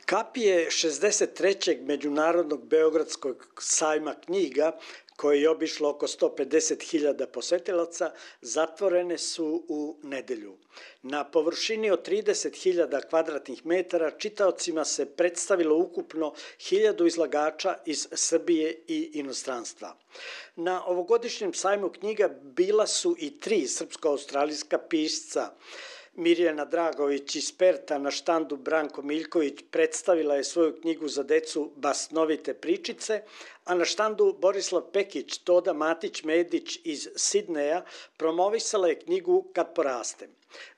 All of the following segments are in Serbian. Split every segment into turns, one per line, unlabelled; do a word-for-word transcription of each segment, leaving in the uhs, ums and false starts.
Kap je šezdeset trećeg Međunarodnog beogradskog sajma knjiga, koje je obišlo oko sto pedeset hiljada posetilaca, zatvorene su u nedelju. Na površini od trideset hiljada kvadratnih metara čitaocima se predstavilo ukupno hiljadu izlagača iz Srbije i inostranstva. Na ovogodišnjem sajmu knjiga bila su i tri srpsko-australijska pisca. Mirjana Dragović iz Perta na štandu Branko Miljković predstavila je svoju knjigu za decu Basnovite pričice, a na štandu Borislav Pekić, Toda Matić-Medić iz Sidneja promovisala je knjigu Kad porastem.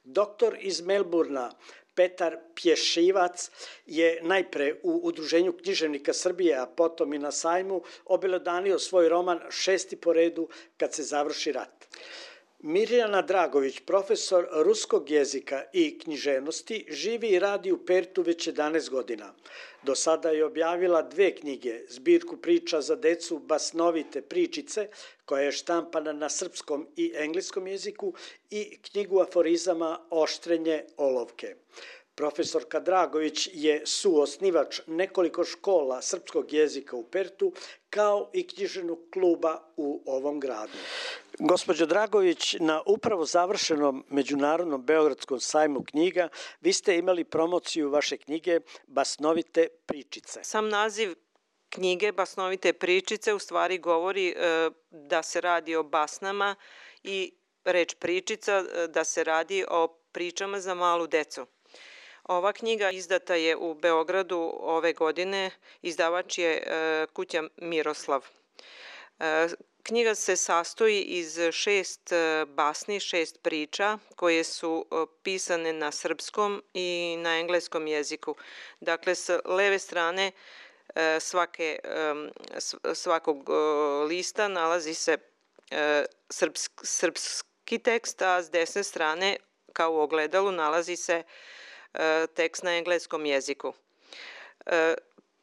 Doktor iz Melburna Petar Pješivac je najpre u Udruženju književnika Srbije, a potom i na sajmu obelodanio svoj roman Šesti po redu Kad se završi rat. Mirjana Dragović, profesor ruskog jezika i književnosti, živi i radi u Pertu već jedanaest godina. Do sada je objavila dve knjige, zbirku priča za decu Basnovite pričice, koja je štampana na srpskom i engleskom jeziku, i knjigu aforizama Oštrenje olovke. Profesorka Dragović je suosnivač nekoliko škola srpskog jezika u Pertu, kao i književnog kluba u ovom gradu. Gospođo Dragović, na upravo završenom Međunarodnom beogradskom sajmu knjiga vi ste imali promociju vaše knjige Basnovite pričice.
Sam naziv knjige Basnovite pričice u stvari govori e, da se radi o basnama i reč pričica da se radi o pričama za malu decu. Ova knjiga izdata je u Beogradu ove godine, izdavač je e, kuća Miroslav. E, knjiga se sastoji iz šest basni, šest priča koje su pisane na srpskom i na engleskom jeziku. Dakle, s leve strane e, svake, e, svakog lista nalazi se e, srpsk, srpski tekst, a s desne strane kao u ogledalu nalazi se tekst na engleskom jeziku.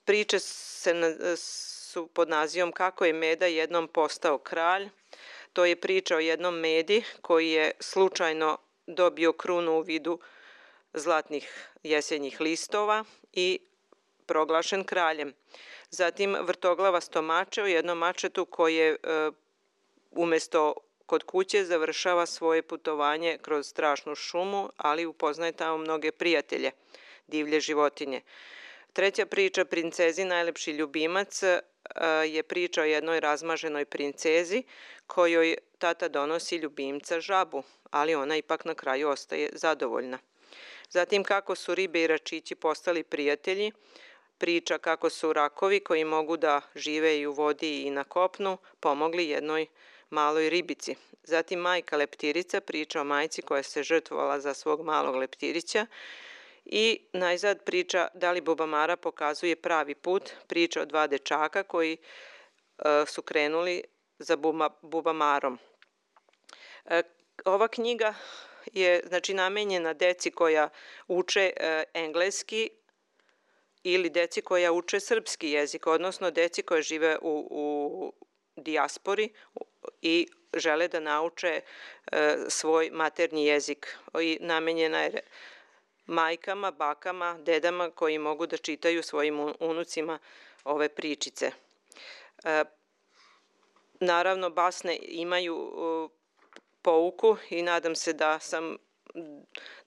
Priče se, su pod nazivom Kako je Meda jednom postao kralj. To je priča o jednom Medi koji je slučajno dobio krunu u vidu zlatnih jesenjih listova i proglašen kraljem. Zatim Vrtoglava stomače o jednom mačetu koji je umesto kod kuće završava svoje putovanje kroz strašnu šumu, ali upoznaje tamo mnoge prijatelje, divlje životinje. Treća priča, Princezi najlepši ljubimac, je priča o jednoj razmaženoj princezi kojoj tata donosi ljubimca žabu, ali ona ipak na kraju ostaje zadovoljna. Zatim Kako su ribe i račići postali prijatelji, priča kako su rakovi koji mogu da žive i u vodi i na kopnu pomogli jednoj maloj ribici. Zatim Majka leptirica, priča o majci koja se žrtvovala za svog malog leptirića. I najzad priča Da li Bubamara pokazuje pravi put, priča o dva dečaka koji e, su krenuli za buba, Bubamarom. E, ova knjiga je znači namenjena deci koja uče e, engleski ili deci koja uče srpski jezik, odnosno deci koja žive u, u dijaspori i žele da nauče e, svoj maternji jezik. I namenjena je majkama, bakama, dedama koji mogu da čitaju svojim unucima ove pričice. E, naravno, basne imaju e, pouku i nadam se da sam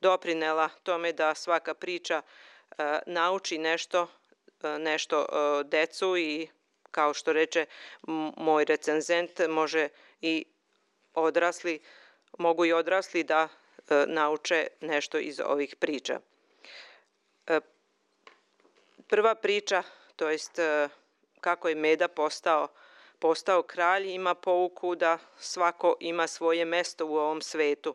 doprinela tome da svaka priča e, nauči nešto, e, nešto e, decu i kao što reče moj recenzent, može i odrasli, mogu i odrasli da e, nauče nešto iz ovih priča. E, prva priča, to jest e, kako je Meda postao, postao kralj, ima pouku da svako ima svoje mesto u ovom svetu.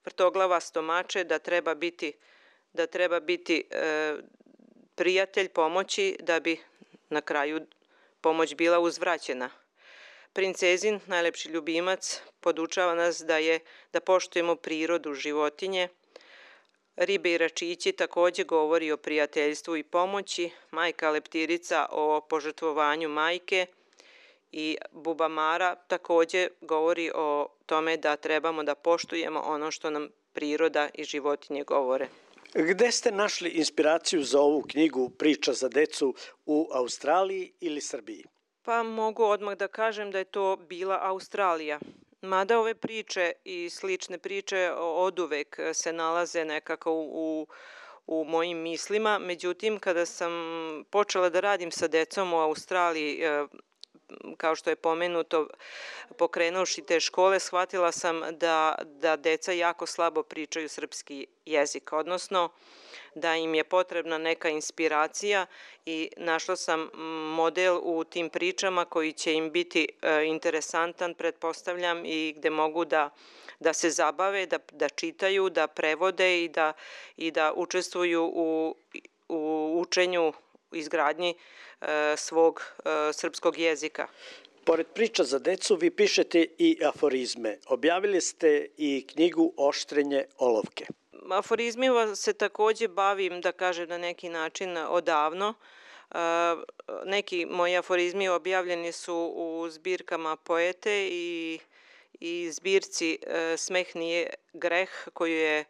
Vrtoglava stomače da treba biti, da treba biti e, prijatelj pomoći da bi na kraju pomoć bila uzvraćena. Princezin, najlepši ljubimac, podučava nas da je da poštujemo prirodu, životinje. Ribe i račići takođe govori o prijateljstvu i pomoći. Majka leptirica o požrtvovanju majke i Bubamara takođe govori o tome da trebamo da poštujemo ono što nam priroda i životinje govore.
Gde ste našli inspiraciju za ovu knjigu Priča za decu u Australiji ili Srbiji?
Pa mogu odmah da kažem da je to bila Australija. Mada ove priče i slične priče oduvek se nalaze nekako u, u mojim mislima, međutim kada sam počela da radim sa decom u Australiji, kao što je pomenuto, pokrenuši te škole, shvatila sam da, da deca jako slabo pričaju srpski jezik, odnosno da im je potrebna neka inspiracija i našla sam model u tim pričama koji će im biti interesantan, pretpostavljam, i gde mogu da, da se zabave, da, da čitaju, da prevode i da, i da učestvuju u, u učenju, izgradnji e, svog e, srpskog jezika.
Pored priča za decu, vi pišete i aforizme. Objavili ste i knjigu Oštrenje olovke.
Aforizmima se takođe bavim, da kažem, na neki način odavno. E, neki moji aforizmi objavljeni su u zbirkama Poete i, i zbirci e, Smeh nije greh, koju je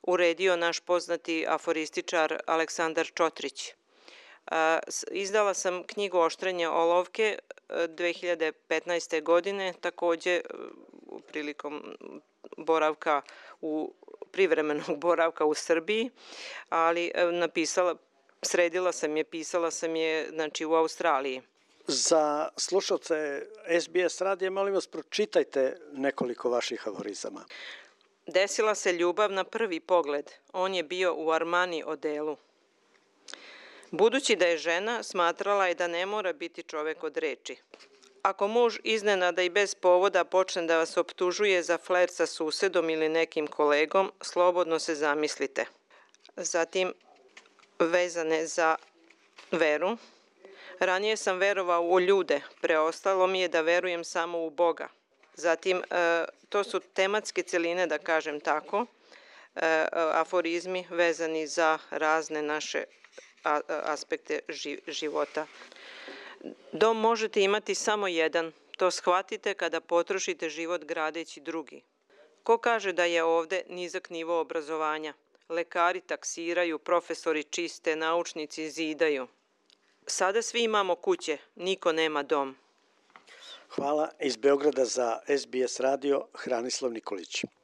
uredio naš poznati aforističar Aleksandar Čotrić. Izdala sam knjigu Oštrenje olovke dve hiljade petnaeste. godine, takođe prilikom boravka u privremenog boravka u Srbiji, ali napisala, sredila sam je, pisala sam je, znači, u Australiji.
Za slušalce S B S radija, molim vas, pročitajte nekoliko vaših aforizama.
Desila se ljubav na prvi pogled. On je bio u Armani odelu. Budući da je žena, smatrala je da ne mora biti čovek od reči. Ako muž iznenada i bez povoda počne da vas optužuje za flirt sa susedom ili nekim kolegom, slobodno se zamislite. Zatim, vezane za veru. Ranije sam verovao u ljude, preostalo mi je da verujem samo u Boga. Zatim, to su tematske celine, da kažem tako, aforizmi vezani za razne naše aspekte života. Dom možete imati samo jedan, to shvatite kada potrošite život gradeći drugi. Ko kaže da je ovde nizak nivo obrazovanja? Lekari taksiraju, profesori čiste, naučnici zidaju. Sada svi imamo kuće, niko nema dom.
Hvala. Iz Beograda za S B S radio, Hranislav Nikolić.